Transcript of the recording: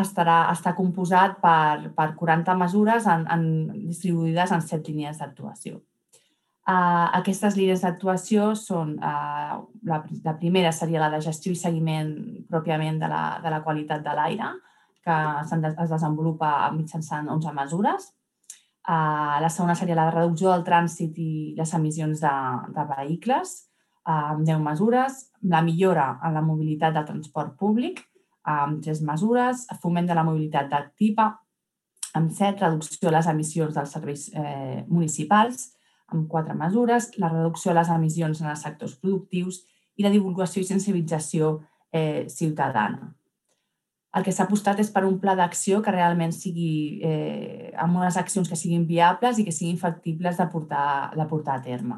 està composat per 40 mesures distribuïdes en 7 línies d'actuació. Aquestes línies d'actuació són, la primera seria la de gestió i seguiment pròpiament de la qualitat de l'aire, que es desenvolupa mitjançant 11 mesures. La segona seria la reducció del trànsit i les emissions de vehicles, amb 10 mesures. La millora en la mobilitat del transport públic, amb 3 mesures. Foment de la mobilitat activa, amb 7. Reducció de les emissions dels serveis municipals, amb 4 mesures. La reducció de les emissions en els sectors productius i la divulgació i sensibilització ciutadana. El que s'ha apostat és per un pla d'acció que realment sigui amb unes accions que siguin viables i que siguin factibles de portar a terme.